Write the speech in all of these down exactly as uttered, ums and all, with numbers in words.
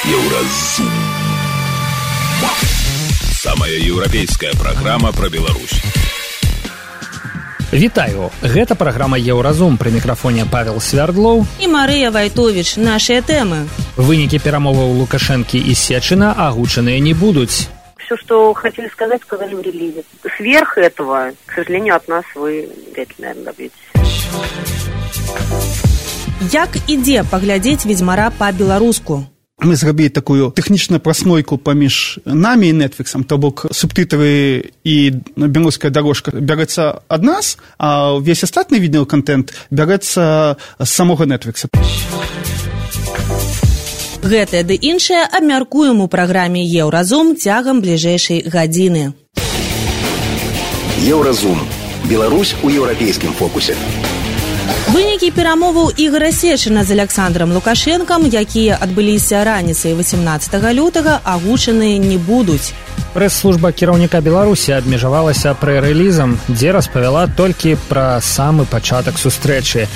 Еўразум. Самая еўрапейская праграма пра Беларусь. Вітаю, гэта праграма Еўразум, пры мікрафоне Павел Свярдлоў і Марыя Вайтовіч. Нашыя тэмы. Вынікі перамоваў Лукашэнкі і Сечина агучаныя не будуць. Все, что хотели сказать, сказали в релизе. Сверх этого, к сожалению, от нас вы вряд ли, наверное, добьетесь. Як ідзе паглядзець «Ведзьмара» па-беларуску? Мы зрабілі такую тэхнічную праснойку паміж намі і Netflix, то бок субтитры і беларуская дорожка бярэцца ад нас, а ўвесь астатні відеоконтент бярэцца з самога Netflix. Гэтае ды іншае абмяркуем у праграме «Еўразум» цягам бліжэйшай гадзіны. Еўразум. Беларусь у еўрапейскім фокусе. Вынікі перамоваў Ігора Сечина з Александром Лукашэнкам, якія адбыліся раніцай васемнаццатага лютага, агучаныя не будуць. Прэс-служба кіраўніка Беларусі абмежавалася прэ-рэлізам, дзе распавяла толькі пра самы пачатак сустрэчы.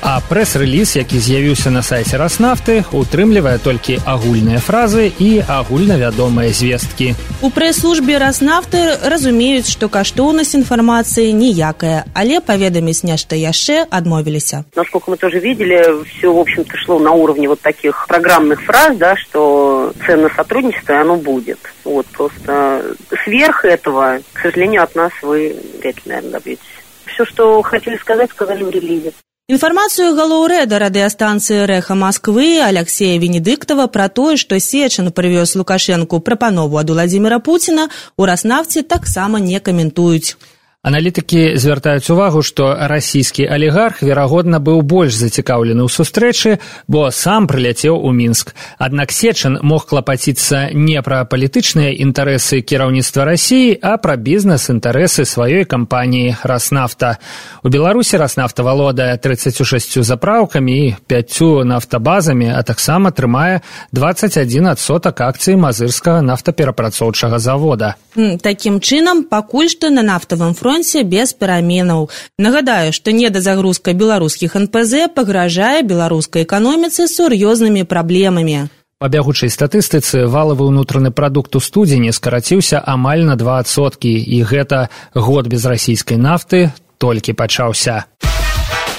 А прэс-рэліз, які з'явіўся на сайце Раснафты, утрымлівае толькі агульныя фразы і агульнавядомыя звесткі. У прэс-службе Раснафты разумеюць, што каштоўнасць інфармацыі ніякая, але паведаміць нешта яшчэ адмовіліся. Насколько мы тоже видели, все, в общем-то, шло на уровне вот таких программных фраз, да, что ценное сотрудничество, оно будет. Вот, просто сверх этого, к сожалению, от нас вы вряд ли, наверное, добьетесь. Все, что хотели сказать, сказали в релизе. Інфармацыю галоўрэда радыёстанцыі «Рэха Масквы» Алексея Венедыктова пра тое, што Сечин прывёз Лукашэнку прапанову ад Уладзіміра Пуціна, у Раснафце таксама не каментуюць. Аналітыкі звяртаюць увагу, што расійскі алігарх, верагодна, быў больш зацікаўлены ў сустрэчы, бо сам прыляцеў у Мінск. Аднак Сечин мог клапаціцца не пра палітычныя інтарэсы кіраўніцтва Расіі, а пра бізнес-інтарэсы сваёй кампаніі «Раснафта». У Беларусі «Раснафта» валодае трыццаццю шасцю запраўкамі і пяццю нафтабазамі, а таксама трымае дваццаць адзін адсотак акцый мазырскага нафтаперапрацоўчага завода. Такім чынам, пакуль што на нафтавым фронце без пераменаў. Нагадаю, што недазагрузка беларускіх эн пэ зэ пагражае беларускай эканоміцы сур'ёзнымі праблемамі. Па бягучай статыстыцы, валавы ўнутраны прадукт у студзені скараціўся амаль на два адсоткі, і гэта год без расійскай нафты толькі пачаўся.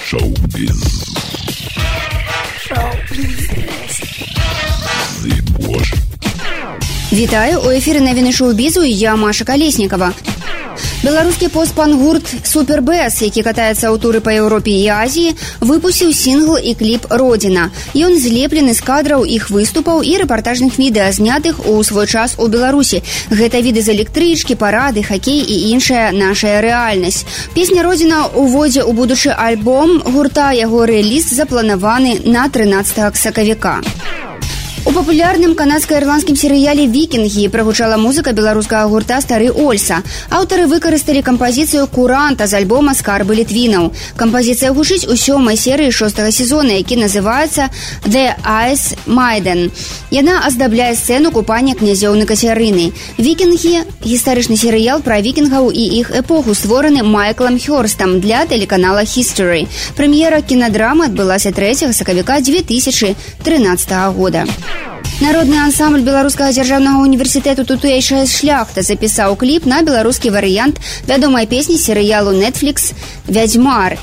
Шоу-біз. Шоу-біз. Вітаю, у эфіры навіны шоу-бізу, я Маша Калеснікава. Беларускі пост-панк-гурт «Супербэс», які катаецца ў туры па Еўропе і Азіі, выпусціў сінгл і кліп «Родзіна». Ён злеплены з кадраў іх выступаў і рэпартажных відэа, знятых у свой час у Беларусі. Гэта віды з электрычкі, парады, хакей і іншая нашая рэальнасць. Песня «Родзіна» уводзе ў будучы альбом гурта, яго рэліз запланаваны на трынаццатага сакавіка. У папулярным канадска-ірландскім серыяле «Вікінгі» прагучала музыка беларускага гурта «Стары Ольса». Аўтары выкарысталі кампазіцыю «Куранта» з альбома «Скарбы літвінаў». Кампазіцыя гучыць у сёмай серыі шостага сезона, які называецца «The Ice Maiden». Яна аздабляе сцэну купання князёў на Кацярыны. «Вікінгі» – гістарычны серыял пра вікінгаў і іх эпоху, створаны Майклам Хёрстам для тэлеканала History. Прэм'ера кінадрамы адбылася трэцяга сакавіка дзве тысячы трынаццатага года. Народны ансамбль Беларускага дзяржаўнага універсітэту «Тутэйшая шляхта» запісаў кліп на беларускі варыянт вядомай песні серыялу Netflix «Вядзьмар».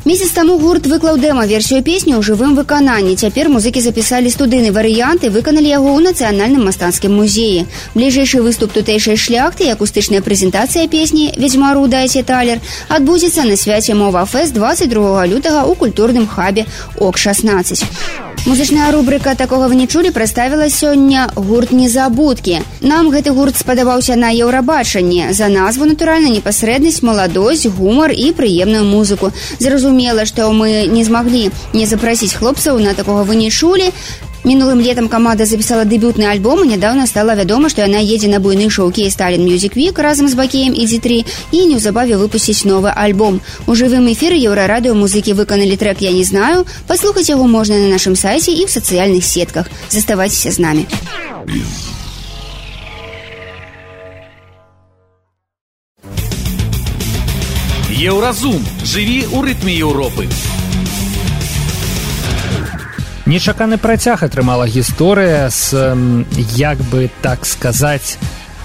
Месяц таму гурт выклаў дэма-версію песні ў жывым выкананні. Цяпер музыкі запісалі студыйны варыянт і выканалі яго ў Нацыянальным мастацкім музеі. Бліжэйшы выступ «Тутэйшай шляхты» і акустычная прэзентацыя песні «Ведзьмару дайце талер» адбудзецца на свяце «Мова-фэст» дваццаць другога лютага ў культурным хабе ОК шаснаццаць. Музычная рубрика «Такога вы не чулі» прадставіла сёння гурт «Незабудкі». Нам гэты гурт спадабаўся на Еўрабачанні. За назву, натуральна, непасрэднасць, маладосць, гумар і прыемную музыку. Зразумела, што мы не змаглі не запрасіць хлопцаў на «Такога вы не чулі». Мінулым летам каманда запісала дэбютны альбом, і нядаўна стала вядома, што яна едзе на буйны шоу «Кей-Сталін Мьюзік Вік» разам з Бакеем і Дзі тры і неўзабаве выпусціць новы альбом. У жывым эфіры Еўрарадыё музыкі выканалі трэк «Я не знаю». Паслухаць яго можна на нашым сайце і ў сацыяльных сетках. Заставайцеся з намі. Еўразум. Жыві ў рытме Еўропы. Нечаканы працяг атрымала гісторыя з, як бы так сказаць,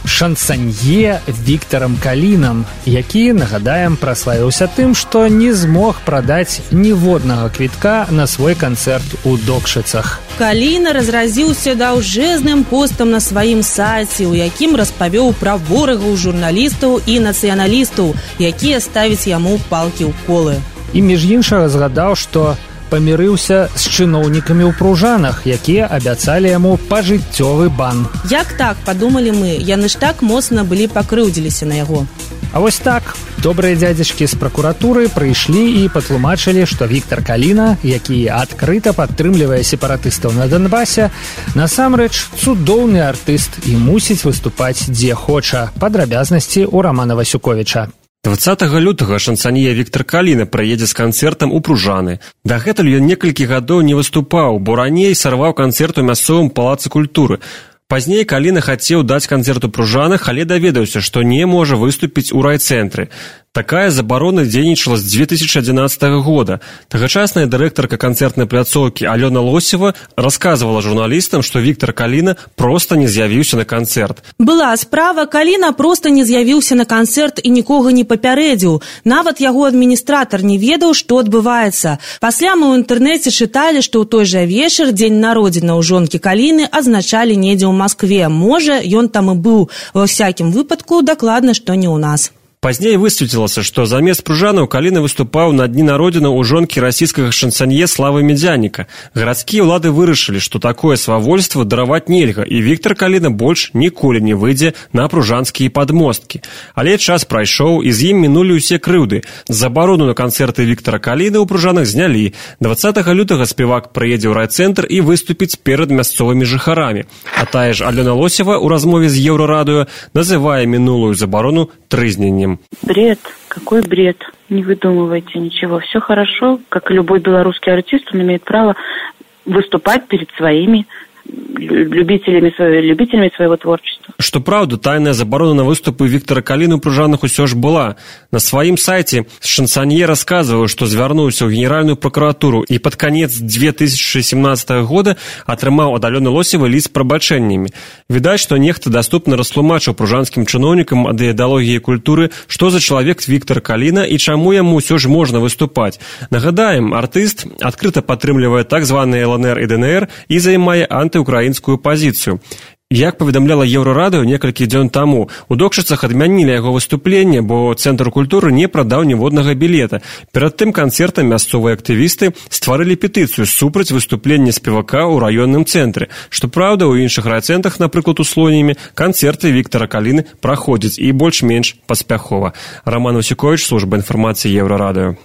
шансанье Віктарам Калінам, які, нагадаем, праславіўся тым, што не змог прадаць ніводнага квітка на свой канцэрт у Докшыцах. Каліна разразіўся даўжэзным постам на сваім сайце, у якім распавёў пра ворагаў журналістаў і нацыяналістаў, якія ставяць яму палкі ў колы. І між іншага згадаў, што памірыўся з чыноўнікамі ў Пружанах, якія абяцалі яму пажыццёвы бан. Як так, падумалі мы, яны ж так моцна былі пакрыўдзіліся на яго. А вось так, добрыя дзядзечкі з пракуратуры прыйшлі і патлумачылі, што Віктар Каліна, які адкрыта падтрымлівае сепаратыстаў на Донбасе, насамрэч цудоўны артыст і мусіць выступаць дзе хоча. Падрабязнасці ў Рамана Васюковіча. дваццатага лютага шансанье Віктар Каліна прыедзе з канцэртам у Пружаны. Дагэтуль ён некалькі гадоў не выступаў, бо раней сарваў канцэрт у мясцовым палацы культуры. Пазней Каліна хацеў даць канцэрт у Пружанах, але даведаўся, што не можа выступіць у райцэнтры. Такая забарона дзейнічала з дзве тысячы адзінаццатага года. Тагачасная дырэктарка канцэртнай пляцоўкі Алёна Лосева расказвала журналістам, што Віктар Каліна проста не з'явіўся на канцэрт. Была справа, Каліна проста не з'явіўся на канцэрт і нікога не папярэдзіў. Нават яго адміністратар не ведаў, што адбываецца. Пасля мы ў інтэрнэце чыталі, што ў той жа вечар дзень народзінаў жонкі Каліны адзначалі недзе ў Маскве. Можа, ён там і быў. Ва ўсякім выпадку, дакладна, што не ў нас. Пазней высветлілася, што замест Пружанаў Каліна выступаў на дні народзінаў у жонкі расійскага шансанье Славы Медзяніка. Гарадскія ўлады вырашылі, што такое свавольства дараваць нельга, і Віктар Каліна больш ніколі не выйдзе на пружанскія падмосткі. Але час прайшоў, і з ім мінулі ўсе крыўды. Забарону на канцэрты Віктара Каліна ў Пружанах знялі. дваццатага лютага спевак прыедзе ў райцэнтр і выступіць перад мясцовымі жыхарамі. А тая ж Алёна Лосева ў размове з Еўрарадыё называе мінулую забарону трызненнем. Бред. Какой бред? Не выдумывайте ничего. Все хорошо. Как и любой белорусский артист, он имеет право выступать перед своими любителями, любителями своего творчества. Што праўда, тайная забарона на выступы Віктара Каліны ў Пружанах усё ж была. На сваім сайце шансанье расказваў, што звярнуўся ў генеральную пракуратуру і пад канец дзве тысячы сямнаццатага года атрымаў ад Алёны Лосевай ліст з прабачэннямі. Відаць, што нехта даступна растлумачыў пружанскім чыноўнікам ад ідэалогіі культуры, што за чалавек Віктар Каліна і чаму яму ўсё ж можна выступаць. Нагадаем, артыст адкрыта падтрымлівае так званыя эл эн эр і дэ эн эр і займае антыукраінскую пазіцыю. Як паведамляла Еўрарадыё некалькі дзён таму, у Докшыцах адмянілі яго выступленне, бо Цэнтр культуры не прадаў ніводнага білета. Перад тым канцэртам мясцовыя актывісты стварылі петыцыю супраць выступлення спевака ў раённым цэнтры. Што праўда, у іншых райцэнтрах, напрыклад, у Слонімі, канцэрты Віктара Каліны праходзяць і больш-менш паспяхова. Раман Васюковіч, служба інфармацыі Еўрарадыё.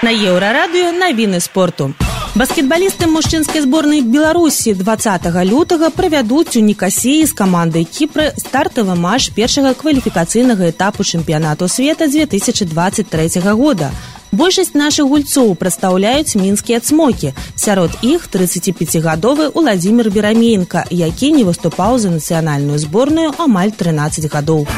На Еўрарадыё навіны спорту. Баскетбалісты мужчынскай зборнай Беларусі дваццатага лютага правядуць у Нікасіі з камандай Кіпра стартавы матч першага кваліфікацыйнага этапу чэмпіянату света дзве тысячы дваццаць трэцяга года. Большасць нашых гульцоў прадстаўляюць мінскія цмокі. Сярод іх трыццаціпяцігадовы Уладзімір Бераменка, які не выступаў за нацыянальную зборную амаль трынаццаць гадоў.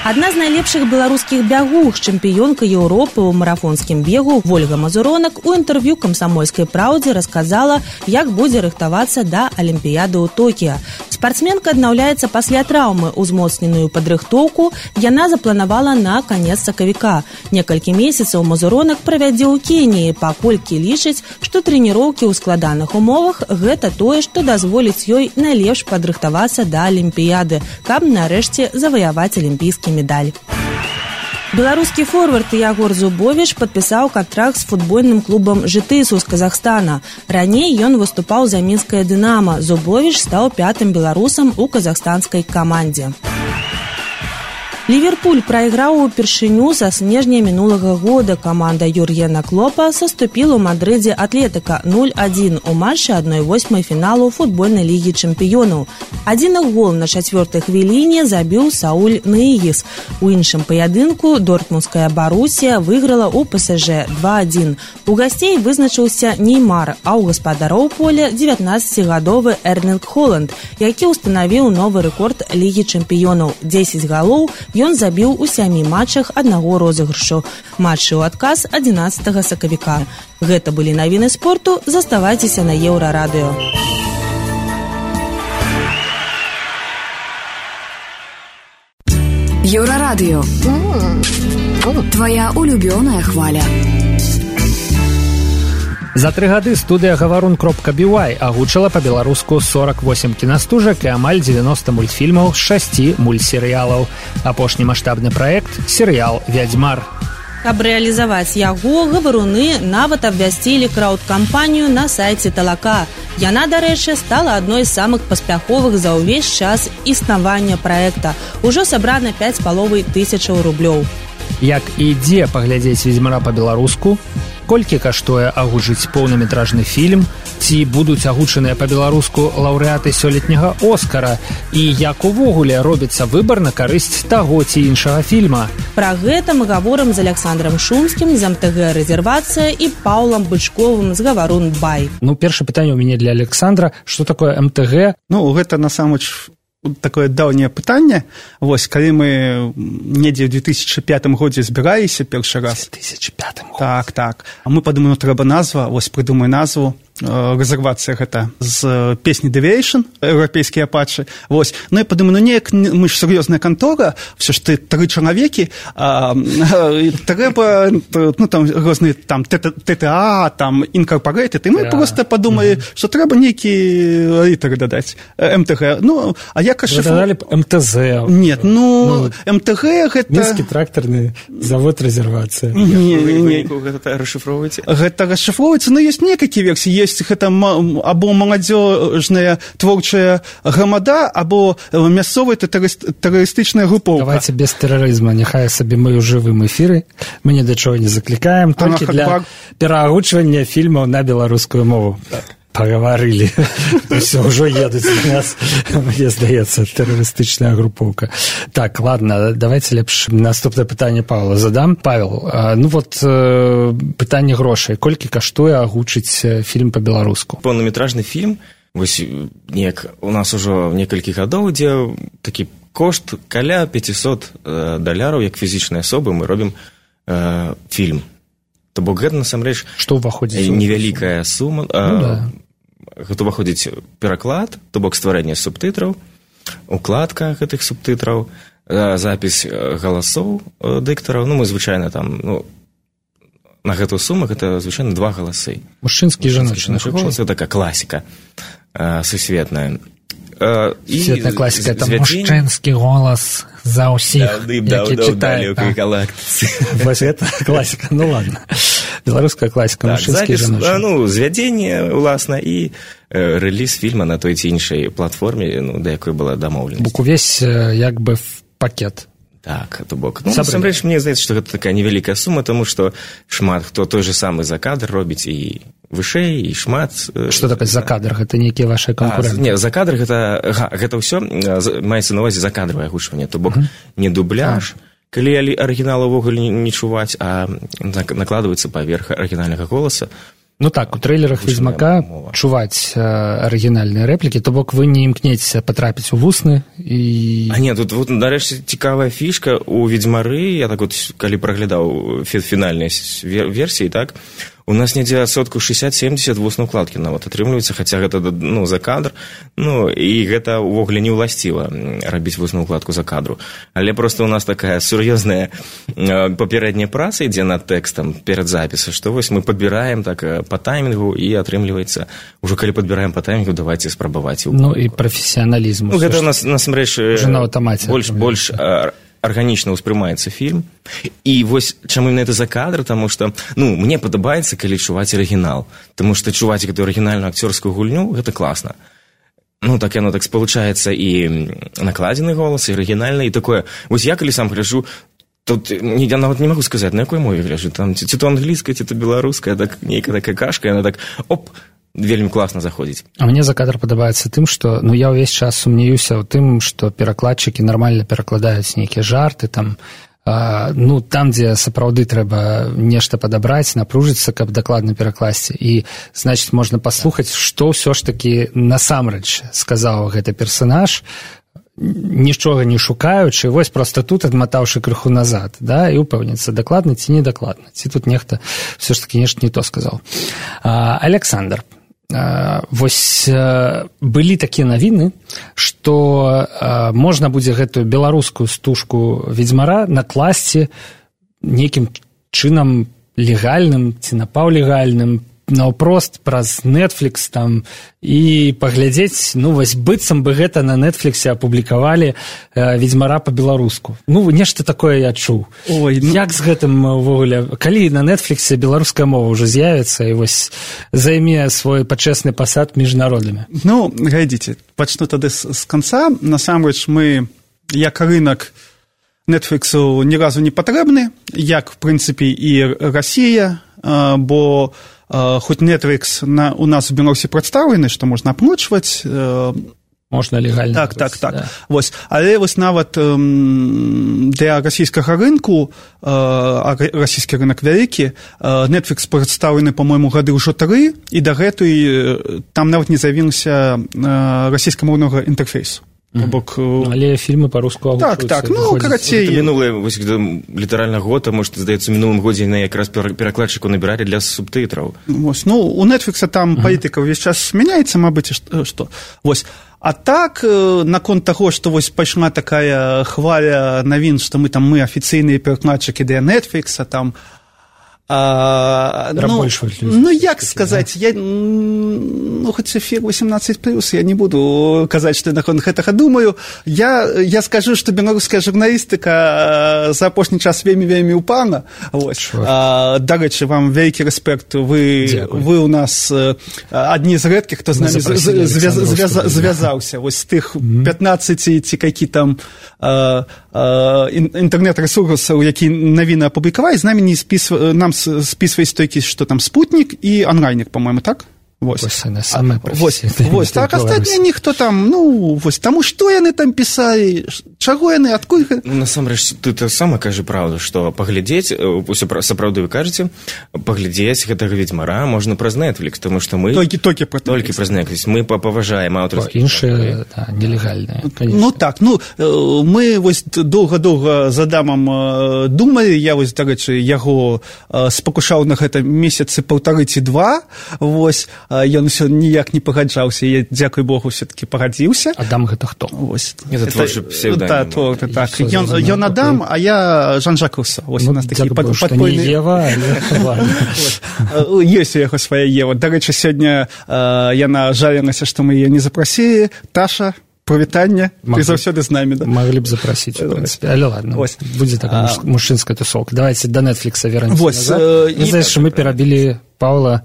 Адна з найлепшых беларускіх бягух, чэмпіёнка Еўропы ў марафонскім бегу Вольга Мазуронак у інтэрв'ю «Камсамольскай праўдзе» расказала, як будзе рыхтавацца да Алімпіяды ў Токіа. Спартсменка аднаўляецца пасля траўмы. Узмоцненую падрыхтоўку яна запланавала на канец сакавіка. Некалькі месяцаў Мазуронак правядзе ў Кеніі, паколькі лічыць, што трэніроўкі ў складаных умовах гэта тое, што дазволіць ёй найлепш падрыхтавацца да Алімпіяды, каб нарэшце заваяваць алімпійскі медаль. Беларускі форвард Ягор Зубовіч падпісаў кантракт з футбольным клубам «Жытысу» з Казахстана. Раней ён выступаў за мінскае «Дынама». Зубовіч стаў пятым беларусам у казахстанскай камандзе. Ливерпуль прайграў упершыню са снежня мінулага года. Каманда Юргена Клопа саступіла ў Мадрыдзе Атлетыка нуль адзін у матчы адной восьмай фіналу футбольнай лігі чэмпіёнаў. Адзін гол на чацвёртай хвіліне забіў Сауль Ныігіс. У іншым паядынку дортмундская Барусія выйграла ў пэ эс жэ два адзін. У гасцей вызначыўся Неймар, а ў гаспадароў поля дзевятнаццацігадовы Эрлінг Холанд, які ўстанавіў новы рэкорд лігі чэмпіёнаў – дзесяць галоў Ён забіў у сямі матчах аднаго розыгрышу. Матчы ў адказ адзінаццатага сакавіка. Гэта былі навіны спорту. Заставайцеся на Еўрарадыё. Еўрарадыё. Твоя улюбёная хваля. За тры гады студыя гаварун кропка би уай агучыла па-беларуску сорок восемь кінастужак і амаль дзевяноста мультфільмаў з шасці мультсерыялаў. Апошні маштабны праект – серыял «Вядзьмар». Каб рэалізаваць яго, гаваруны нават абвясцілі краўд-кампанію на сайце Талака. Яна, дарэчы, стала адной з самых паспяховых за ўвесь час існавання праекта. Ужо сабрана пяць з паловай тысячаў рублёў. Як і дзе паглядзець «Ведзьмара» па-беларуску? Колькі каштуе агучыць поўнаметражны фільм? Ці будуць агучаныя па-беларуску лаўрэаты сёлетняга «Оскара»? І як увогуле робіцца выбар на карысць таго ці іншага фільма? Пра гэта мы гаворым з Александром Шумскім з эм тэ гэ «Рэзервацыя» і Паўлам Бычковым з «Гаварун Бай». Ну, першае пытанне ў мяне для Александра. Што такое эм тэ гэ? Ну, гэта насамрэч такое даўняе пытанне. Вось, калі мы недзе ў две тысячы пятым годзе збіраліся першы раз. две тысячи пятым годзе. Так, так. А мы падумаем, трэба назва, вось прыдумай назву. Рэзервацыя гэта з песні «Deviation», еўрапейскія апачы. Вось. Ну, я падумаю, ну, неяк мы ж сур'ёзная кантора, все ж ты тры чалавекі, а, трэба, ну, там, розныя, там, тэ тэ а, там, Incorporated, і мы просто падумалі, што трэба нейкі літары дадаць, эм тэ гэ. Ну, а як ашифру... Вы дадалі б эм тэ зэ. Нет, ну, эм тэ гэ гэта... Мінскі трактарны завод «Рэзервацыя». Не, не, не. Гэта расшифроўваеце? Гэта расшифроўваецца, но ёсць некалькі версій. Ёсць гэта або маладзёжная творчая грамада, або мясцовая тэрарыстычная групоўка. Давайте без тэрарызма, няхай сабе мы ў жывым эфіры, мы ні да чого не заклікаем, толькі для пераагучвання фільмаў на беларускую мову. Паговорили. Все, ўжо едуць на нас, мне здаецца, тэрарыстычная групоўка. Так, ладно, давайте лепш наступнае пытанне Павла задам. Павел, ну вот пытанне грошай. Колькі каштуе агучыць фільм па-беларуску? Поўнаметражны фільм, вось неяк у нас ужо некалькі гадоў, дзе такі кошт каля пятьсот даляраў, як фізічнай асобы, мы робім э, фільм. То бок гэта, насамрэч, што ўваходзіць? Невялікая сума. Ну, да. Гэта ўваходзіць пераклад, то бок стварэнне субтытраў, укладка гэтых субтытраў, запіс галасоў дыктараў. Ну, мы звычайна там, ну, на гэтую суму гэта звычайна два галасы. Мужчынскі і жаночны голас. Гэта такая класіка сусветная. Светная класіка, это мужчынскі голас за ўсіх, які читаюць. Вось гэта класіка, ну ладно. Беларуская класіка, мужчынскі і жаночны. Ну, звядзенне, уласна, і рэліз фільма на той ці іншай платформе, ну, да якой была дамоўленасць. Бок увесь, як бы, пакет. Так, то бок. Ну, насамрэч, мне здаецца, што гэта такая невялікая сума, таму што шмат хто той же самы за кадр робіць і вышэй, і шмат... Што такое за кадр? Гэта нейкія вашыя канкурэнты? Не, за кадр гэта... Га, гэта ўсё маецца на ўвазе за кадравае агучванне, то бок не дубляж, калі арыгінал увогуле не чуваць, а накладваецца паверх арыгінальнага голаса. Ну так, у трэйлерах «Ведзьмака» чуваць арыгінальныя рэплікі, то бок вы не імкнецеся патрапіць у вусны і... А не, тут, вот, нарэшце, цікавая фішка у «Ведзьмары», я так вот, калі праглядаў фінальныя версіі, так, у нас недзе адсотку шэсцьдзесят-семдзесят вуснай укладкі нават атрымліваецца, хаця гэта, ну, за кадр, ну, і гэта ўвогуле не ўласціва рабіць вусную укладку за кадру. Але проста у нас такая сур'ёзная папярэдняя праца ідзе над тэкстам перад запісам, што вось мы падбіраем так па таймінгу і атрымліваецца, ужо калі падбіраем па таймінгу, давайце спрабаваць. Ну, і прафесіяналізм. Ну, гэта у нас, насамрэч, больш, больш арганічна ўспрымаецца фільм. І вось чаму именно это за кадр, таму што, ну, мне падабаецца, калі чуваць арыгінал, таму што чуваць гэтую арыгінальную акцёрскую гульню, гэта класна. Ну, так яно так спалучаецца і накладзены голас, і арыгінальны, і такое. Вось я калі сам гляджу, тут я нават не магу сказаць, на якой мове гляджу, там ці то англійская, ці то беларуская, так нейкая такая кашка, яна так, оп, вельмі класна заходзіць. А мне за кадр падабаецца тым, што, ну, я ўвесь час сумнеюся ў тым, што перакладчыкі нармальна перакладаюць нейкія жарты, там, а, ну, там, дзе сапраўды трэба нешта падабраць, напружыцца, каб дакладна перакласці. І, значыць, можна паслухаць, што ўсё ж такі насамрэч сказаў гэты персанаж, нічога не шукаючы, вось проста тут адматаўшы крыху назад, да, і упэўніцца, дакладна ці недакладна, ці тут нехта все ж таки нешта не то сказаў. Александр, вось былі такія навіны, што можна будзе гэтую беларускую стужку ведзьмара накласці нейкім чынам легальным ці напаўлегальным, наўпрост праз Netflix там і паглядзець, ну вось быццам бы гэта на Netflix апублікавалі э, ведзьмара па-беларуску. Ну нешта такое я чуў. Ой, ну... як з гэтым увогуле, калі на Netflix беларуская мова ўжо з'явіцца і вось займе свой пачэсны пасад між народамі? Ну, глядзіце, пачну тады з, з канца. Насамрэч мы як рынак Netflixу ні разу не патрэбны, як в прынцыпе і Расія, э, бо Uh, хоць Netflix на, у нас у Беларусі прадстаўлены, што можна аплачваць. Uh, можна легальна. Так, так, так. Да. Вось. Але вось нават um, для расійскага рынку, uh, расійскі рынак вялікі, uh, Netflix прадстаўлены, па-мойму, гады ўжо тры, і дагэтуль там нават не з'явіўся uh, расійскамоўнага інтэрфейсу. Mm-hmm. Бок, але фільмы па-руску агучваюцца. Так, так, ну, карацей. Мінулыя, вось, літаральна год, а может, здаецца, мінулым годзе на якраз перакладчыку набіралі для субтытраў. Вось, ну, у Netflix там mm-hmm. палітыка ўвесь час мяняецца, мабыць, што. Вось. А так, наконт таго, што вось пайшла такая хваля навін, што мы там, мы афіцыйныя перакладчыкі для Netflix, там, А, ну, ну, як сказаць, я, ну, хоць эфір восемнадцать плюс, я не буду казаць, што я наконт гэтага думаю. Я, я скажу, што беларуская журналістыка за апошні час вельмі-вельмі ўпала. Дарэчы, вам вялікі рэспект. Вы, вы у нас адні з рэдкіх, хто з намі звязаўся. Вось з тых пятнаццаці ці які там інтэрнэт-рэсурсаў, які навіны апублікавалі, з намі не спісвалі, нам списываясь толькі, што там спутнік і онлайнік, по-моему, так? Вось. Вось, самая вось, вось, так, астатнія ніхто там, ну, вось, таму што яны там пісалі, чаго яны, адкуль... Ну, насамрэч, ты так сама кажы правду, што паглядзець, сапраўды вы кажаце, паглядзець гэтага ведзьмара можна праз Netflix, таму што мы... Толькі, толькі праз Netflix. Толькі праз Netflix. Мы паважаем аўтарскія... Іншыя, да, нелегальныя, конечно. Ну, так, ну, мы вось доўга-доўга з Адамам думалі, я вось, дарэчы, яго спакушаў на гэта месяцы паўтары ці два, вось, ён усё ніяк не пагаджаўся, я, дзякуй Богу, все-таки пагадзіўся. Адам гэта хто? Вось. Это творчы псевдонім. Да, то, так. Ён, ён Адам, а я Жан-Жак Руссо. Вось у нас такі падпольны... Не Ева, але... Ёсць у яго свая Ева. Дарэчы, сёння яна жалілася, што мы яе не запрасілі. Таша, прывітанне, ты заўсёды з намі. Да? Маглі б запрасіць, у прынцыпе. Але ладно, ось. Будзе такая а... мужчынская тусовка. Давайте до Netflix вернемся назад. Э, Знаешь, так, мы перабілі Паўла,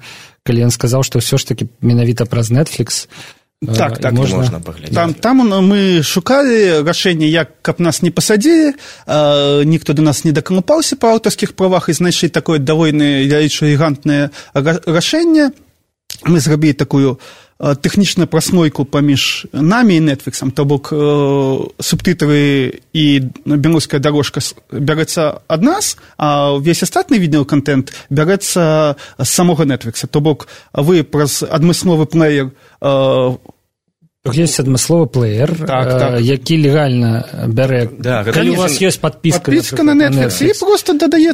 калі ён сказаў, што ўсё ж таки менавіта праз Netflix так, так, можна, можна паглядзець. Там, там мы шукалі рашэнне, як каб нас не пасадзілі, ніхто до нас не дакалупаўся па аўтарскіх правах і знайшлі такое давольна вялічае гігантнае рашэнне. Мы зрабілі такую тэхнічную праслойку паміж намі і Netflixом, то бок субтытры і беларуская дарожка бярэцца ад нас, а ўвесь астатні відеоконтент бярэцца з самога Netflix. То бок вы праз адмысловы плеер Есть адмысловы плеер, так, так. які легальна бярэ. Да, калі у вас ёсць подпіска, подпіска на Netflix, і просто дадае,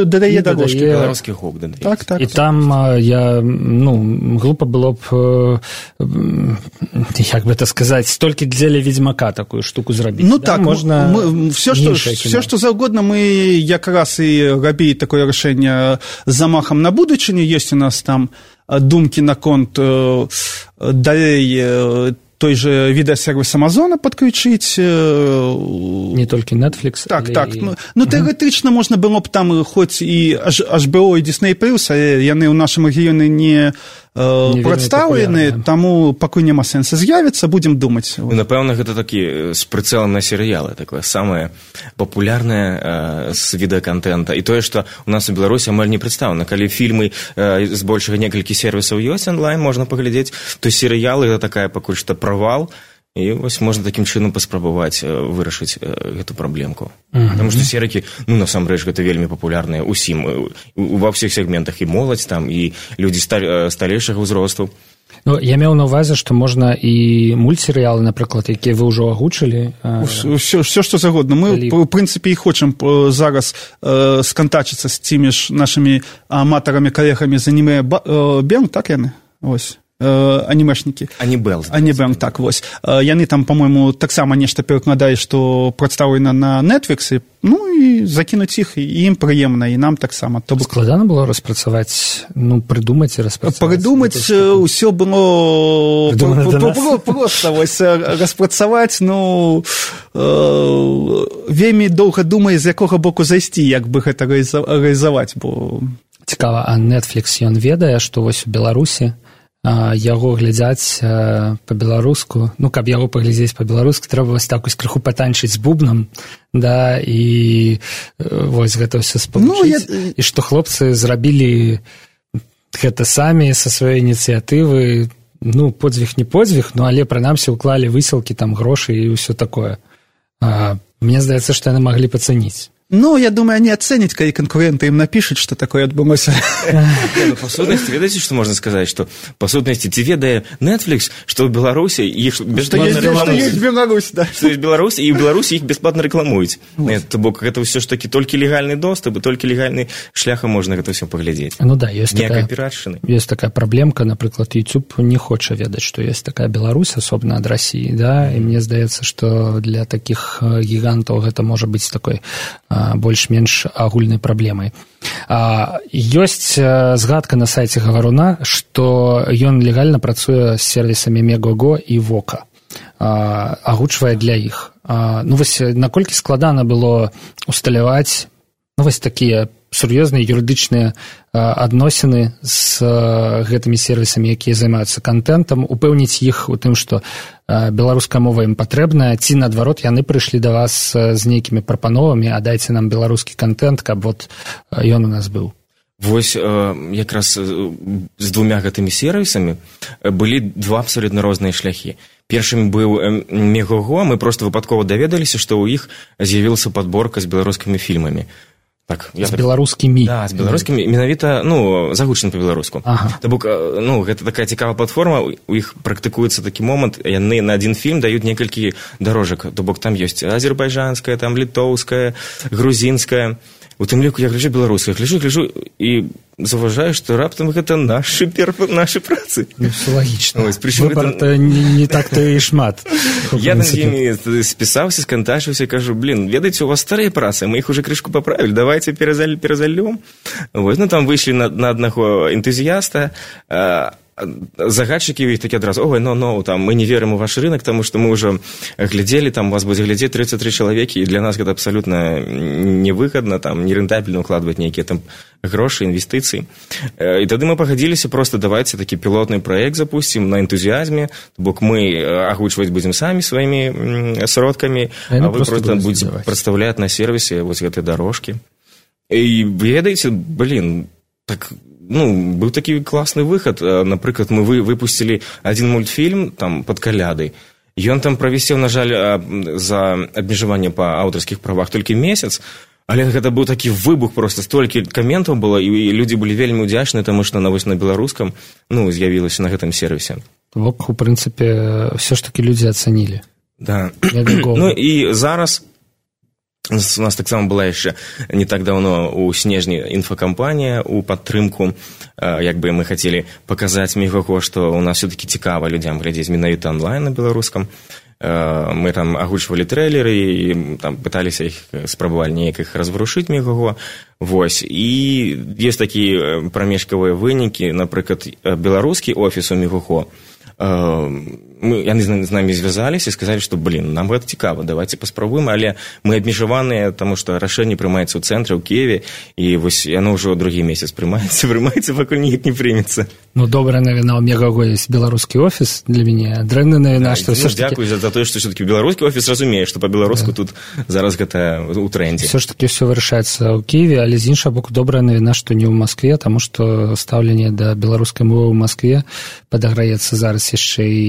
дадае дарожкі. Беларускі гук дадае. Так, так. І там я, ну, глупо было б, як бы это сказаць, толькі дзеля ведзьмака такую штуку зрабіць. Ну да? так, можна мы, все, што, все, што заўгодна, мы якраз і рабілі такое рашэнне з замахам на будучыню. Ёсць у нас там думкі наконт далей той же відэасервіс Амазона падключыць. Не толькі Netflix. Так, так. І... Ну, ну тэарэтычна можна было б там хоць і эйч би о і Disney+, але яны ў нашым рэгіёне не, не прадстаўлены, таму пакуль няма сэнса з'явіцца, будзем думаць. Ну, напэўна, гэта такі з прыцэлам на серыялы, такое самае папулярнае з відэаконтента. І тое, што у нас у Беларусі амаль не прадстаўлена. Калі фільмы з большага некалькі сервісаў ёсць онлайн, можна паглядзець, то серыялы гэта такая пакуль што правал, і вось можна такім чынам паспрабаваць вырашыць гэту праблемку. Mm-hmm. Таму што серыкі, ну, насамрэч, гэта вельмі папулярныя ўсім, ва ўсіх сегментах, і моладзь там, і людзі сталейшага ўзросту. Ну, я меў на ўвазе, што можна і мультсерыялы, напрыклад, якія вы ўжо агучылі. Все, все што загодна. Мы, в прынцыпе, і хочам зараз э, скантачыцца з тымі ж нашымі аматарамі, калегамі з аніме Бэнг, так яны? Вось. Анімешнікі. Анібэл. Анібэл, так, вось. Яны там, по-моему, таксама нешта перакладаюць, што прадстаўлена на Netflix, ну і закінуць іх, і ім прыемна, і нам таксама. То складана было распрацаваць, ну, прыдумаць і распрацаваць? Прыдумаць усё было проста, вось, распрацаваць, ну, вельмі доўга думае, з якога боку зайсці, як бы гэта рэалізаваць, бо... Цікава, а Netflix, ён ведае, што вось у Беларусі яго глядзяць па-беларуску, ну, каб яго паглядзець па-беларуску, трэба вось так вось крыху патанчыць з бубнам, да, і вось гэта ўсё спалучыць. Ну, я... І што хлопцы зрабілі гэта самі са сваёй ініцыятывы, ну, подзвіг не подзвіг, ну, але прынамсі ўклалі высілкі, там, грошы і ўсё такое. А, мне здаецца, што яны маглі пацаніць. Ну, я думаю, они оценят, когда конкуренты им напишут, что такое отбылось. По сутности, ведаете, что можно сказать? Что, по сутности, ты ведая Netflix, что в Беларуси их бесплатно рекламуют. Что есть Беларусь, да. Что есть Беларусь, и в Беларуси их бесплатно рекламуют. Это, бок, это все ж таки только легальный доступ, и только легальный шляхом можно это все поглядеть. Ну да, есть такая, пиратшины. Есть такая проблемка, например, YouTube не хочет ведать, что есть такая Беларусь, особенно от России, да, и мне здаецца, что для таких гигантов это может быть такой больш-менш агульнай праблемай. Ёсць згадка на сайце Гаваруна, што ён легальна працуе з сервісамі Мегого і Вока, агучвае для іх. Ну вось наколькі складана было усталяваць, ну вось такія сур'ёзныя юрыдычныя адносіны з гэтымі сервісамі, якія займаюцца контентам, упэўніць іх у тым, што беларуская мова ім патрэбная, ці наадварот яны прыйшлі да вас з нейкімі прапановамі, а дайце нам беларускі контент, каб вот ён у нас быў. Вось якраз з двумя гэтымі сервісамі былі два абсолютна розныя шляхі. Першым быў Мегого, мы просто выпадкова даведаліся, што ў іх з'явілася падборка з беларускімі фільмамі. Так, з беларускімі. Да, з беларускімі, менавіта, ну, загучаны па-беларуску. Ага. То бок, ну, гэта такая цікавая платформа, у іх практыкуецца такі момант, яны на адзін фільм даюць некалькі дарожак. То бок, там ёсць азербайджанская, там літоўская, грузінская. У тым ліку я гляджу беларуская, гляджу, гляджу і заўважаю, што раптам гэта нашы перп... нашы працы. Ну, все лагічна. Выбар-то это... не, не так-то і шмат. Я там з імі спісаўся, скантачыўся, кажу, блин, ведаеце, у вас старыя працы, мы іх уже крышку паправілі, давайте перазаль... перазальём. Вось, ну, там выйшлі на, на аднаго энтузіяста, а... загадчыкі ў іх такі адразу, ой, ну, ну, там, мы не верым у ваш рынок, таму што мы ўжо глядзелі, там, вас будзе глядзець тридцать три чалавекі, і для нас гэта абсалютна невыгадна, там, нерэнтабельна ўкладваць нейкія там грошы, інвестыцыі. І тады мы пагадзіліся, просто давайце такі пілотны праект запусцім на энтузіазме, бок мы агучваць будзем самі сваімі сродкамі, а вы просто будзеце прадстаўляць на сервісе вось гэтыя дарожкі. І ведаеце, блин, так... Ну, быў такі класны выхад. Напрыклад, мы вы, выпусцілі адзін мультфільм там пад калядай. Ён там правісеў, на жаль, за абмежаванне па аўтарскіх правах толькі месяц, але гэта быў такі выбух проста, столькі каментаў было, і людзі былі вельмі ўдзячныя, таму што на вось на беларускам, ну, з'явілася на гэтым сервісе. Бок, у прынцыпе, ўсё ж такі людзі ацанілі. Да. Ну, і зараз... У нас таксама была яшчэ не так даўно у снежні інфакампанія у падтрымку, як бы мы хацелі паказаць Мегого, што у нас все-таки цікава людзям глядзець менавіта онлайн на беларускам. Мы там агучвалі трэйлеры і там пыталіся іх спрабавалі неяк іх разварушыць Мегого. Вось. І ёсць такія прамежкавыя вынікі, напрыклад, беларускі офіс у Мегого. Мы, яны з намі звязаліся і сказалі, што, блин, нам гэта цікава, давайте паспрабуем, але мы абмежаваныя, таму што рашэнне прымаецца ў цэнтры, ў Киеве, і вось яно ўжо другі месяц прымаецца, прымаецца, пакуль ніяк не прымецца. Ну, добрая навіна, у Мегого ёсць беларускі офіс для мяне, дрэнная навіна, што ўсё ж такі... Дзякуй за тое, што ўсё-такі беларускі офіс разумее, што па-беларуску тут зараз гэта ў трендзе. Ўсё ж такі ўсё вырашаецца ў Киеве, але з іншага боку добрая навіна, што не ў Маскве, таму што стаўленне да беларускай мовы ў Маскве падаграецца зараз яшчэ і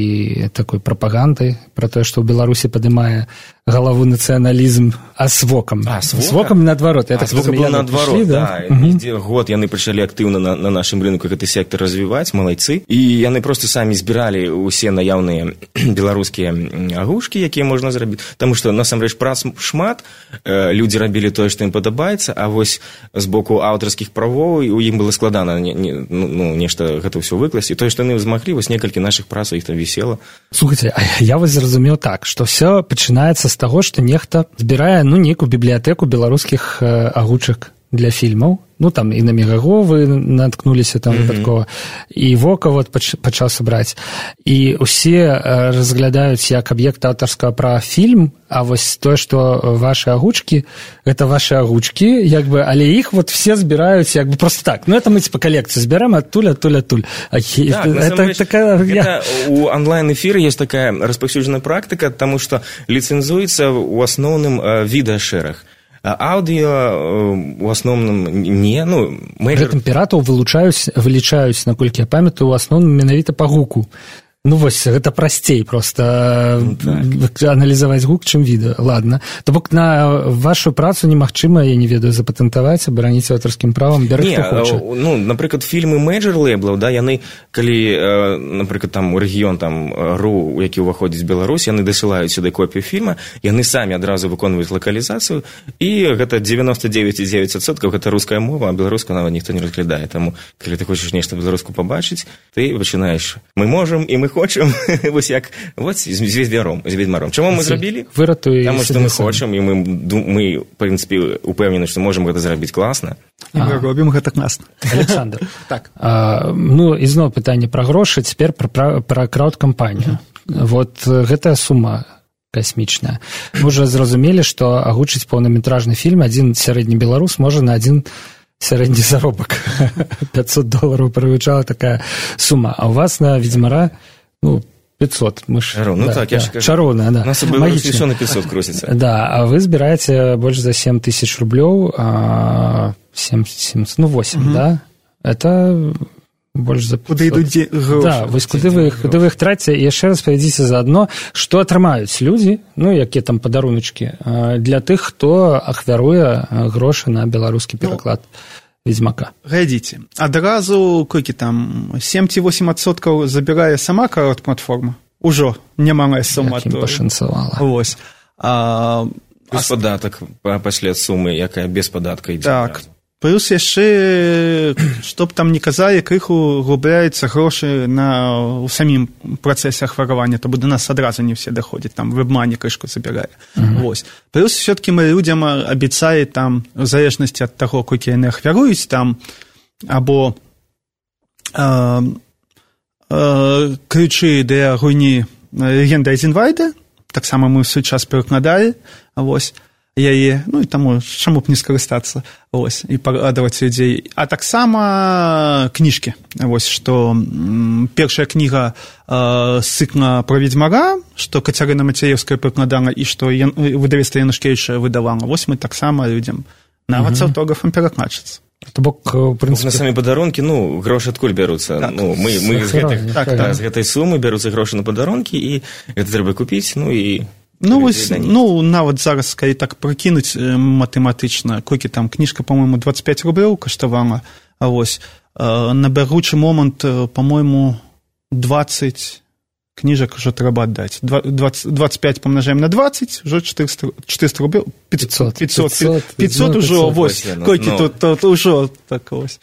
такой прапаганды про тое, што ў Беларусі падымае галаву нацыяналізм, а з вокам. А, з вокам? З вокам наадварот. А, з вокам было наадварот, прышлі, да. да. Угу. Год яны пачалі актыўна на, на нашым рынку гэты сектор развіваць, малайцы. І яны просто самі збіралі ўсе наяўныя беларускія агушкі, якія можна зрабіць. Таму што, насамрэч, прац шмат, людзі рабілі тое, што ім падабаецца, а вось з боку аўтарскіх правоў у ім было складана не, не, ну, нешта гэта ўсё выкласці. Тое, што яны змаглі, вось некалькі нашых працаў іх там вісела. Слухайте, а я вось зразумеў так, што ўсё пачынаецца з таго, што нехта збірае, ну, нейкую бібліятэку беларускіх э, агучак для фільмаў. Ну, там і на Мегаго вы наткнуліся там выпадкова, mm-hmm. і Вока вот пач, пачаў сабраць. І ўсе э, разглядаюць як аб'ект аўтарскага права фільм, а вось тое, што ваши агучкі, гэта ваши агучкі, як бы, але іх вот все збіраюць як бы просто так. Ну, это мы типа колекцию збираем адтуль, адтуль, адтуль. Так, это такая... Это у онлайн-эфира есть такая распаўсюджаная практика, потому что лицензуется в основном э, відэашэрах. Аўдыо у асноўным не, ну, мэйджор... Гэтым піратаў вылучаюць, вылічаюць, наколькі я памятаю, у асноўным менавіта па гуку. Ну, вось, гэта прасцей проста ну, так. аналізаваць гук, чым відэо. Ладно. То бок на вашу працу немагчыма, я не ведаю, запатэнтаваць, абараніць аўтарскім правам, бярэ не, хто хоча. Ну, напрыклад, фільмы мэйджор-лэйблаў, да, яны, калі, напрыклад, там, у рэгіён, там, ру, у які ўваходзіць Беларусь, яны дасылаюць сюды копію фільма, яны самі адразу выконваюць лакалізацыю, і гэта дзевяносто девять и девять адсоткаў гэта руская мова, а беларускую нават ніхто не разглядае. Таму, калі ты хочаш нешта беларуску пабачыць, ты пачынаеш, мы можам, і мы хочам, вось як, вот з ведьмаром, з ведьмаром. Чаму мы зрабілі? Выратуй. Таму што мы хочам, і мы, мы, в прынцыпе, упэўнены, што можам гэта зрабіць класна. І мы робім гэта класна. Александр. Так. А, ну, ізноў пытанне пра грошы, цяпер пра, пра, пра краўд-кампанію. Вот гэтая сума касмічная. Мы ўжо зразумелі, што агучыць поўнаметражны фільм адзін сярэдні беларус можа на адзін сярэдні заробак. пятьсот долларов прывычала такая сума. А у вас на «Ведьмара» ну, пятьсот. Мы ж, ну да, так, я да, же кажу. Чароўная, да. У нас в Беларуси все на пятьсот крутится. Да, а вы збираете больше за семь тысяч рублёў, а семь, семь, ну восемь, угу. Да? Это больше за пятьсот. Куды ідуць грошы? Да, вось куды вы іх, куды вы іх траціце, і яшчэ раз павядзіце заадно, што атрымаюць людзі, ну, якія там падаруначкі, для тых, хто ахвяруе грошы на беларускі пераклад. Ну, Ведьмака. Глядзіце, адразу колькі там семь ці восемь адсоткаў забірае сама карот-платформа. Ужо немалая сума. Як ім пашанцавала. Вось. А, плюс а... падатак пасля сумы, якая без падатка ідзе. Так. Плюс яшчэ, што б там не казалі, крыху губляюцца грошы на ў самім працэсе ахваравання, то да нас адразу не все даходзяць, там вебмані крышку забірае. Uh-huh. Вось. Плюс все-таки мы людзям абяцае там, в залежнасці ад таго, колькі яны ахвяруюць там, або э, э, ключы для гульні «Легенда Айзенвайда», таксама мы ў свой час перакладалі, вось, яе, ну і таму чаму б не скарыстацца, вось, і парадаваць людзей. А таксама кніжкі, вось, што м, першая кніга э, з цыкла пра Ведьмара, што Кацярына Мацеевская перакладала і што Ян, выдавецтва Янушкевіча выдавала. Вось мы таксама людзям нават з аўтографам перакладчыц. То бок, в прынцыпе... На самі падарункі, ну, грошы адкуль бяруцца? Так. Ну, мы, мы з, гэтых, так, так. з гэтай сумы бяруцца грошы на падарункі, і гэта трэба купіць, ну і... Ну, вось, ну, нават зараз, калі так прыкінуць матэматычна, колькі там кніжка, па-мойму, двадцать пять рублёў каштавала, а вось, на бягучы момант, па-мойму, двадцать кніжак ужо трэба аддаць. двадцать, двадцать пять помножаем на двадцать, ужо четыреста, четыреста рублёў, пятьсот, пятьсот, пятьсот, пятьсот ужо, вось, колькі тут, тут ужо, так вось.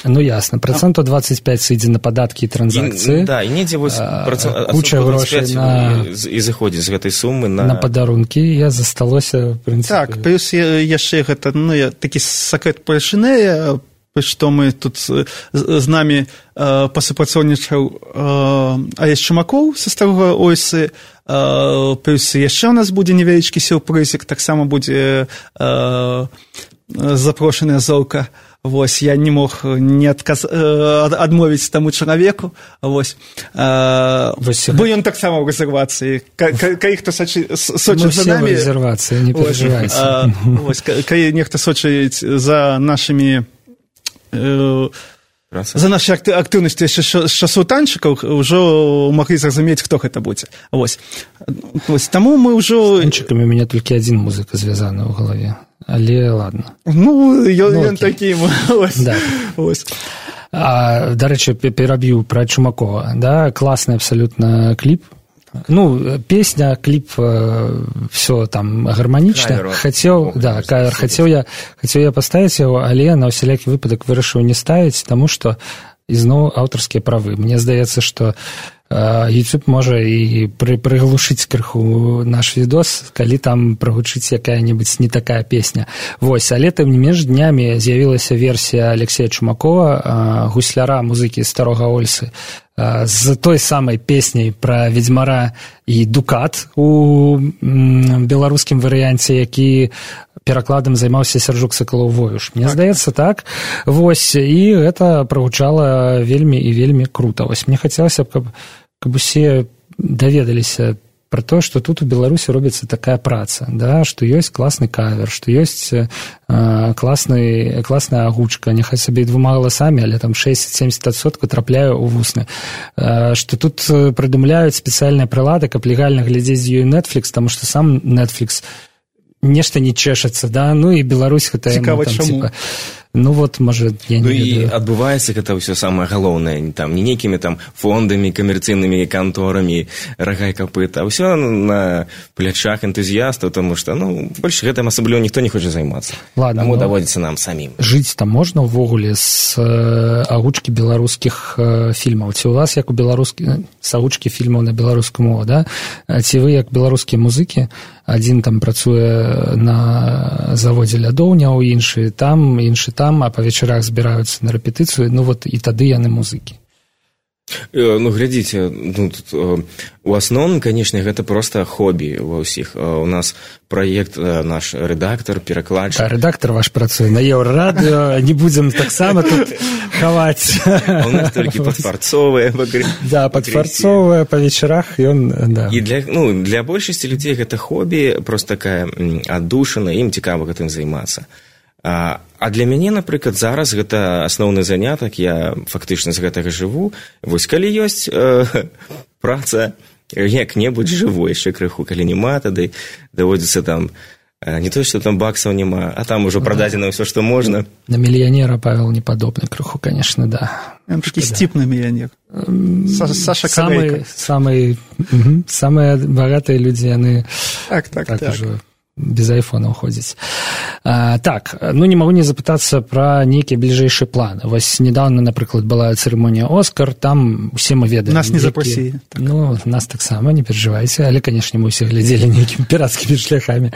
Ну, ясно. Проценту двадцать пять сыдзе на падаткі і транзакцыі. Да, і недзе вось куча грошай на... і заходзіць з гэтай сумы на... На падарункі. Я засталося, в прынцыпе... Так, плюс яшчэ гэта, ну, такі сакрэт палішынэя, што мы тут з, з намі э, пасупрацоўнічаў э, Алесь Чумакоў са старога ОС, э, плюс яшчэ у нас будзе невялічкі сюрпрызік, таксама будзе э, запрошаная Золка. Вось, я не мог не адказ... адмовіць таму чалавеку, вось, а... вось бо ён таксама ў рэзервацыі, калі хто сочыць за намі... Мы все ў рэзервацыі, не перажывайце. Вось, калі нехта сочыць за нашымі э, За нашай актыўнасці яшчэ з часоў танчыкаў ўжо маглі зразумець, хто гэта будзе. Вось. Вось. Таму мы ўжо... З танчыкамі у мяне толькі адзін музыка звязаны ў галаве. Але ладно. Ну, ён ну, такі. Вось. Да. Вось. А, дарэчы, пераб'ю пра Чумакова. Да? Класны абсалютна кліп. Ну, песня, клип, э, все там гармонично. Кавер, хотел, Бог, да, кавер, хотел я, хотел я поставить его, але на усялякі выпадак вырашыў не ставіць, тому что ізноў аўтарскія правы. Мне здаецца, што э, YouTube можа і пры, прыглушыць крыху наш відос, калі там прагучыць якая-небудзь не такая песня. Вось, але тым не менш днямі з'явілася версія Алексея Чумакова, э, гусляра музыкі Старога Ольсы, з той самай песняй пра ведзьмара і дукат у беларускім варыянце, які перакладам займаўся Сяржук Сакалоў-Воюш. Мне так. Здаецца, так. Вось, і гэта прагучала вельмі і вельмі крута. Вось, мне хацелася б, каб, каб усе даведаліся про то, што тут у Беларусі робіцца такая праца, да, што ёсць класны кавер, што ёсць э, класны, класная агучка, няхай сабе двума галасамі, але там шэсцьдзесят-семьдесят адсоткаў трапляе ў вусны, э, што тут прыдумляюць спецыяльныя прылады, каб легальна глядзець з ёй Netflix, таму што сам Netflix нешта не чэшацца, да, ну і Беларусь гэта цікава, чаму? Типа, ну вот, можа, я не ну ведаю. І адбываецца гэта ўсё самае галоўнае, там, не нейкімі там фондамі, камерцыйнымі канторамі, рагай капыта, а ўсё на плячах энтузіястаў, тому што, ну, больш гэтым асабліва ніхто не хоча займацца. Ладно, таму ну, даводзіцца нам самім. Жыць там можна ўвогуле з э, агучкі беларускіх э, фільмаў? Ці у вас, як у беларускі, з агучкі фільмаў на беларускую мову, да? Ці вы, як беларускія музыкі, адзін там працуе на заводзе лядоўняў, іншы там, іншы там, а па вечарах збіраюцца на рэпетыцыю, ну вот і тады яны музыкі. Ну, глядзіце, ну, тут, у асноўным, канешне, гэта проста хобі ва ўсіх. У нас праект, наш рэдактар, перакладчык. А рэдактар ваш працуе на Еўрарадыё, не будзем таксама тут хаваць. У нас толькі падфарцовыя. Да, падфарцовыя, па вечарах ён, да. І для, ну, для большасці людзей гэта хобі, проста такая аддушына, ім цікава гэтым займацца. А, а для мяне, напрыклад, зараз гэта асноўны занятак, я фактычна з гэтага жыву. Вось калі ёсць э, праца, як-небудзь жыву яшчэ крыху, калі няма, тады даводзіцца там, э, не то, што там баксаў няма, а там ужо прададзена ўсё, што можна. На мільянера Павел не падобны крыху, конечно, да. Ён такі сціпны мільянер. Саша Калейка. Самыя угу, самыя багатыя людзі, яны так, так, так. так. Ужо без айфона ходзіць. А, так, ну не магу не запытацца пра нейкія бліжэйшыя планы. Вось недавно, напрыклад, была цырымонія Оскар, там усе мы ведаем. Нас не які... запросілі. Так. Ну, нас таксама, не перажывайце, але, канешне, мы ўсе глядзелі нейкімі пірацкімі шляхамі.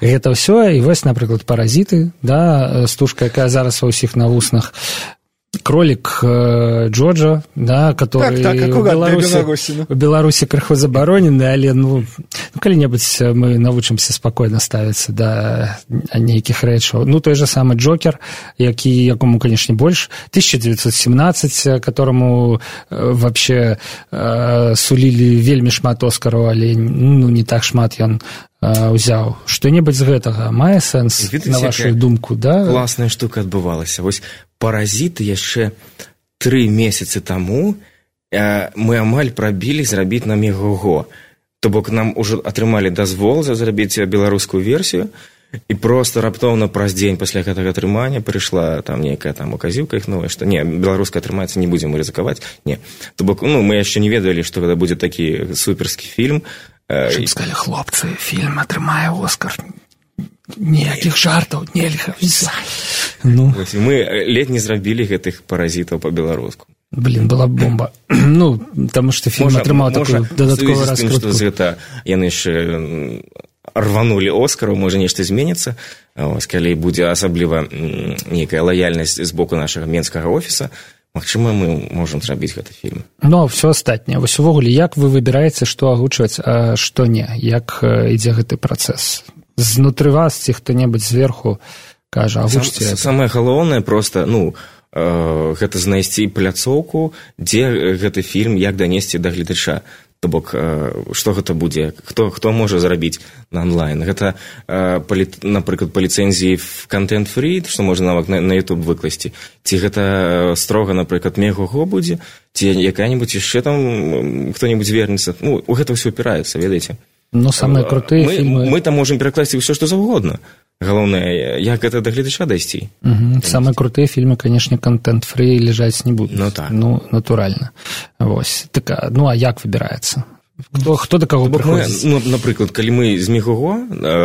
Гэта ўсё, і вось, напрыклад, «Паразіты», да, стужка, якая зараз ва ўсіх на вуснах. Кролик э, Джоджо, да, который так, так, у Беларуси, у Беларуси крыху забаронены, але ну, ну калі-небудзь мы навучымся спакойна ставіцца да нейкіх рэчаў. Ну, той же самы Джокер, які, якому, канешне, больш, тысяча девятьсот семнадцать, которому э, вообще э, сулілі вельмі шмат Оскараў, але ну, не так шмат ён ўзяў. Што-небудзь з гэтага мае сэнс, Видите, на вашу думку, да? Класная штука адбывалася. Вось «Паразіты» яшчэ тры месяцы таму э, мы амаль прабілі зрабіць нам яго. То бок нам ужо атрымалі дазвол зрабіць беларускую версію, і проста раптоўна праз дзень пасля гэтага атрымання прыйшла там нейкая там указівка іх новая, што не, беларуская атрымаецца, не будзем рызыкаваць. Не. То бок, ну, мы яшчэ не ведалі, што гэта будзе такі суперскі фільм. Щоб сказали, хлопцы, фільм атрымае Оскар. Ніякіх жартаў нельга. Ну. Мы ледь не зрабілі гэтых «Паразітаў» па-беларуску. Блин, была бомба. Ну, таму што фільм атрымаў такую дадатковую раскрутку. З гэта яны яшчэ рванулі Оскару, можа нешта зменіцца. Ось, калі будзе асабліва нейкая лаяльнасць з боку нашага менскага офіса, магчыма, мы можам зрабіць гэты фільм. Ну, все астатняе. Вось увогуле, як вы выбіраеце, што агучваць, а што не? Як ідзе гэты працэс? Знутры вас ці хто-небудзь зверху кажа, агучце? Сам, самае галоўнае проста, ну, э, гэта знайсці пляцоўку, дзе гэты фільм, як данесці да гледача. То бок што гэта будзе, хто хто можа зарабіць на онлайн. Гэта напрыклад па ліцэнзіі в контент фрі, што можна нават на, на YouTube выкласці, ці гэта строга, напрыклад, мегого будзе, ці якая-нибудь яшчэ там хто-нибудь звернецца. Ну, у гэта ўсё упіраецца, ведаеце. Ну, самыя крутыя мы, фільмы... Мы там можам перакласці ўсё, што заўгодна. Галоўнае, як гэта да гледача дайсці. Угу. Самыя крутыя фільмы, канешне, контент-фрі ляжаць не будуць. Ну, так. Ну, натуральна. Вось. Так, ну, а як выбіраецца? Хто, хто да каго прыходзіць? Ну, напрыклад, калі мы з Мегого...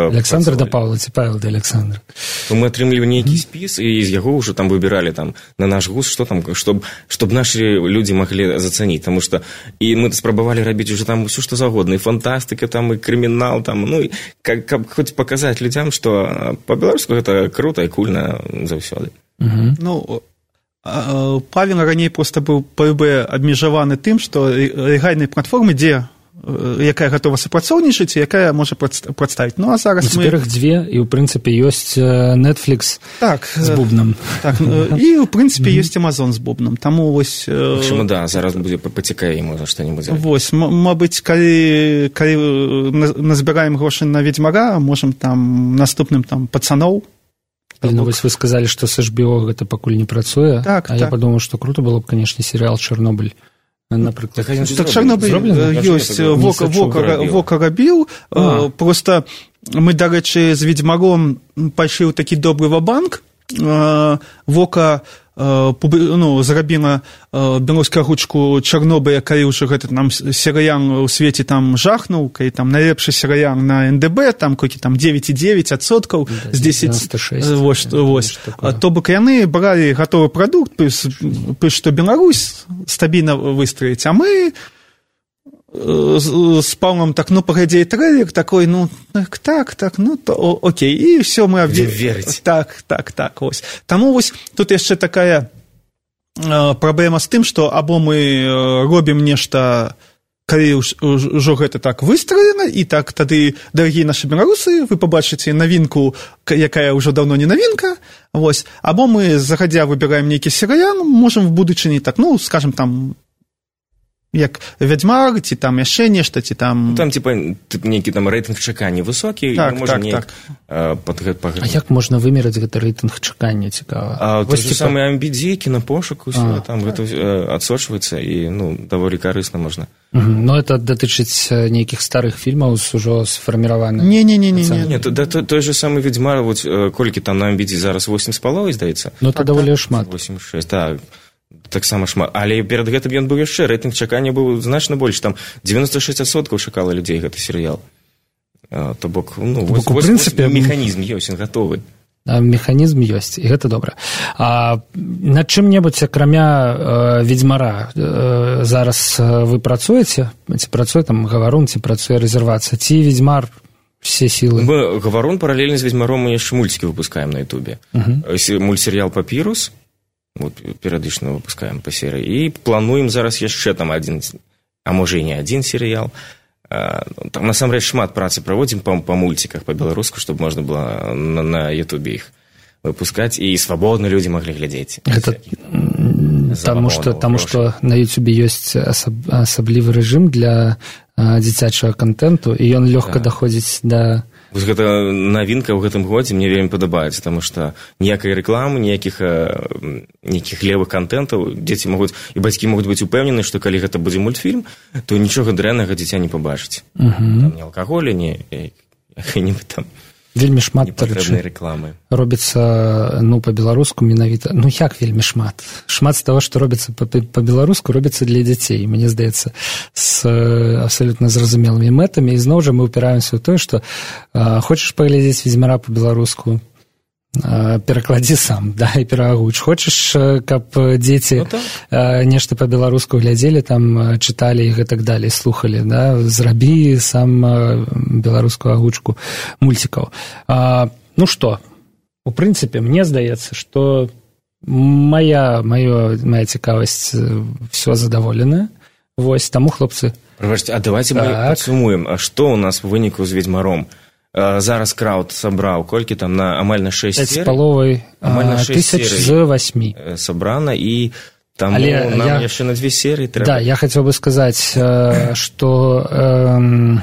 Александр да Павла, ці Павел да Александра. То мы атрымлівалі нейкі спіс, і з яго ўжо там выбіралі там, на наш густ, што там, чтоб, чтоб нашы людзі маглі зацаніць. Таму што і мы спрабавалі рабіць уже там ўсё, што загодна, і фантастыка, там, і крымінал, там, ну, і каб, каб хоць паказаць людзям, што па-беларуску гэта крута і кульна заўсёды. Угу. Ну, Павел раней проста быў ПБ абмежаваны тым, што легальнай платформы, дзе якая гатова супрацоўнічаць, якая можа прадставіць. Ну, а зараз мы... Цяпер іх дзве, і, ў прынцыпе, ёсць Netflix так, з бубнам. Так, і, ў прынцыпе, ёсць Amazon з бубнам. Таму, вось... Чаму, да, зараз будзе пацікае, можа, што-нибудь зрабіць. Вось, мабыць, калі, калі назбіраем грошы на Ведзьмара, можам там наступным там пацаноў. Ну, вось вы сказалі, што з эйч би о гэта пакуль не працуе, так, а так. Я падумаў, што круто было б, канешне, серыял «Чарнобыль». Напрыклад. Так Чарнобыль ёсць, Вока рабіў, проста мы, дарэчы, з Ведзьмаром пайшлі ў такі добры ва-банк, Вока ну, зрабіла беларускую агучку Чарнобыля, калі ўжо гэты там серыял у свеце там жахнуў, калі там найлепшы серыял на эн дэ бэ, там колькі там дзевяць і дзевяць адсоткаў з дзесяць, вось, вось. То бок яны бралі гатовы прадукт, плюс, што Беларусь стабільна выстраіць, а мы з Павлом так, ну, паглядзеў трэйлер такой, ну, так, так, так, ну, то, о, окей, і ўсё мы верыць. Так, так, так, ось. Таму вось тут яшчэ такая э, праблема з тым, што або мы робім нешта, калі ўжо гэта так выстроена, і так тады, дарагія нашы беларусы, вы пабачыце навінку, якая ўжо даўно не навінка, вось, або мы загадзя выбіраем нейкі серыял, можам в будучыні так, ну, скажем, там, як Вядзьмар, ці там яшчэ нешта, ці там... Там, типа, нейкі там рэйтынг чакання высокі, так, і мы можам так, неяк... Так. Пад, пад... А як можна вымераць гэты рэйтынг чакання, цікава? А вось типа... самы амбідзі, кінапошук, усё, а, там так. Гэта адсочваецца, і, ну, даволі карысна можна. Угу. Но это датычыць нейкіх старых фільмаў з ужо сфарміраваных? Не-не-не. Не, то, да, той же самы Ведзьмар, вот, колькі там на амбідзі зараз восемь з паловай, здаецца? Ну, это так, даволі так. шмат. восемь шэсць, так. Таксама шмат. Але перад гэтым ён быў яшчэ, рэйтынг чакання быў значна больш, там дзевяносто шэсць адсоткаў чакала людзей гэты серыял. А, то бок, ну, вось, бок, у прынцыпе, механізм ёсць, ён гатовы. Механізм ёсць, і гэта добра. А над чым-небудзь, акрамя э, Ведзьмара, э, зараз вы працуеце? Ці працуе там Гаварун, ці працуе рэзервацыя? Ці Ведзьмар все сілы? Мы Гаварун паралельна з Ведзьмаром мы яшчэ мульцікі выпускаем на Ютубе. Uh-huh. Мультсерыял «Папірус», вот, перыядычна выпускаем па серыі, і плануем зараз яшчэ там адзін, а можа і не адзін серыял. Там насамрэч шмат працы праводзім па, па мульціках па-беларуску, чтобы можна было на, на Ютубе іх выпускаць, і свабодна людзі маглі глядзець. Гэта таму што, таму што на Ютубе ёсць асаб, асаблівы рэжым для а, дзіцячага контенту, і ён лёгка да. даходзіць да... Вось гэта навінка ў гэтым годзе мне вельмі падабаецца, таму што ніякай рэкламы, ніякіх нейкіх левых контентаў, дзеці могуць, і бацькі могуць быць упэўнены, што калі гэта будзе мультфільм, то нічога дрэннага дзіця не пабачыць. Uh-huh. Там ні алкаголя, ні якай-небудзь там вельмі шмат непатрэбнай рэкламы. Робіцца, ну, па-беларуску менавіта, ну, як вельмі шмат? Шмат з таго, што робіцца па-беларуску, робіцца для дзяцей, мне здаецца, з абсалютна зразумелымі мэтамі, і зноў жа мы ўпіраемся ў тое, што а, хочаш паглядзець Ведзьмара па-беларуску, перакладзі сам, да, і перагуч. Хочаш, каб дзеці ну, так. нешта па-беларуску глядзелі, там чыталі і гэтак далей, слухалі, да, зрабі сам беларускую агучку мульцікаў. А, ну што, у прынцыпе, мне здаецца, што моя, моя, моя цікавасць все задаволеная. Вось, таму, хлопцы... Прабачце, а давайте так. мы падсумуем, а што у нас у выніку з Ведзьмаром? Зараз крауд сабраў, колькі там, на амаль на шэсць серый? пяць з паловай тысяч з васьмі. Сабрана, і Таму Але нам я... яшчэ на две серыі трэба. Да, я хотел бы сказаць, што э,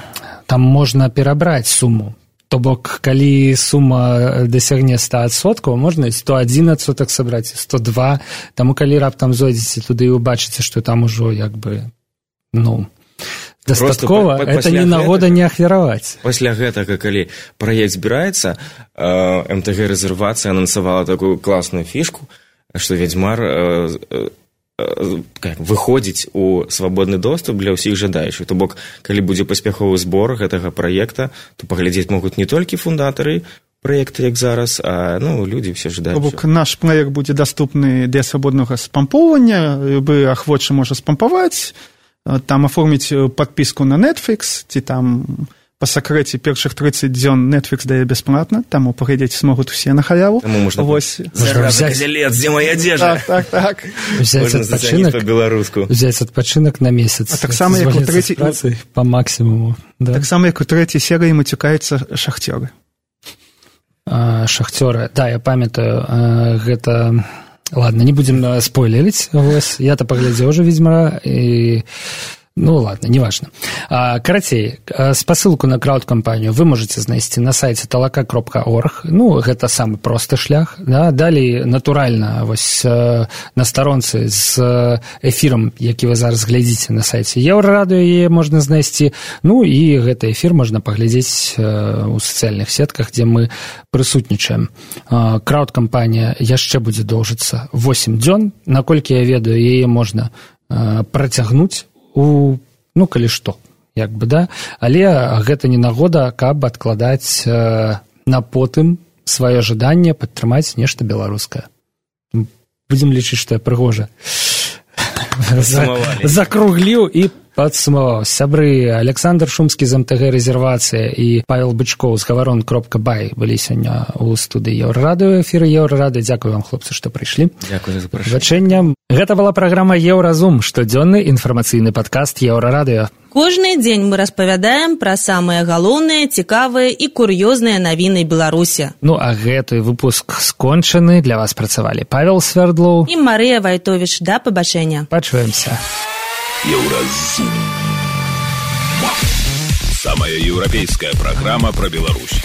там можна перабраць суму. То бок, калі сума дасягне сто адсоткаў, можна сто адзін адсотак сабраць, сто два. Таму калі раптам зойдзеце туды і убачыце, што там ужо як бы, ну, дастаткова, это не нагода не ахвяраваць. Пасля гэтага, калі праект збіраецца, эм тэ гэ рэзервацыя анансавала такую класную фішку, што Ведзьмар выходзіць у свабодны доступ для ўсіх жадаючых. То бок, калі будзе паспяховы збор гэтага праекта, то паглядзець могуць не толькі фундатары праекта, як зараз, а ну, людзі все жадаючыя. То бок, наш праект будзе даступны для свабоднага спампоўвання, любы ахвочы можа спампаваць, там аформіць падпіску на Netflix, ці там па сакрэце першых трыццаць дзён Netflix дае бясплатна, таму паглядзець смогуць усе на халяву. Таму можна Вось. Зараза, козелец, дзе моя адзежа? Так, так, так. Взяць адпачынак па-беларуску. Взяць адпачынак на месяц. А так само, як у трэцяй... Па максімуму. Да? Так само, як у трэцяй серыі мацюкаюцца шахцёры. А, шахцёры. Да, я памятаю, гэта... Ладно, не будем спойлерить. Вось. Я-то паглядзеў уже Ведьмара, и... Ну, ладно, неважно. А, карацей, спасылку на крауд-кампанію вы можете знайсці на сайце талака кропка орг. Ну, гэта самы просты шлях. Да? Далей, натуральна, вось на старонцы з эфірам, які вы зараз глядзіце на сайце Еўрарадыё, яе можна знайсці. Ну, і гэты эфір можна паглядзець у сацыяльных сетках, дзе мы прысутнічаем. Крауд-кампанія яшчэ будзе доўжыцца восемь дзён. Наколькі я ведаю, яе можна працягнуць у, ну, калі што, як бы, да, але гэта не нагода, каб адкладаць э, на потым сваё жаданне падтрымаць нешта беларускае. Будзем лічыць, што я прыгожа закругліў і падсумаваў. Сябры, Александр Шумскі з эм тэ гэ рэзервацыя і Павел Бычкоў з гаварон кропка бай былі сёння ў студыі Еўрарадыё, эфіры Еўрарадыё. Дзякую вам, хлопцы, што прыйшлі. Дзякую за запрашэнне. Гэта была праграма Еўразум, штодзённы інфармацыйны падкаст Еўрарадыё. Кожны дзень мы распавядаем пра самыя галоўныя, цікавыя і кур'ёзныя навіны Беларусі. Ну, а гэты выпуск скончаны. Для вас працавалі Павел Свердлоў і Марыя Вайтовіч. Да пабачэння. Пачуемся. Еўразум. Самая еўрапейская праграма пра Беларусь.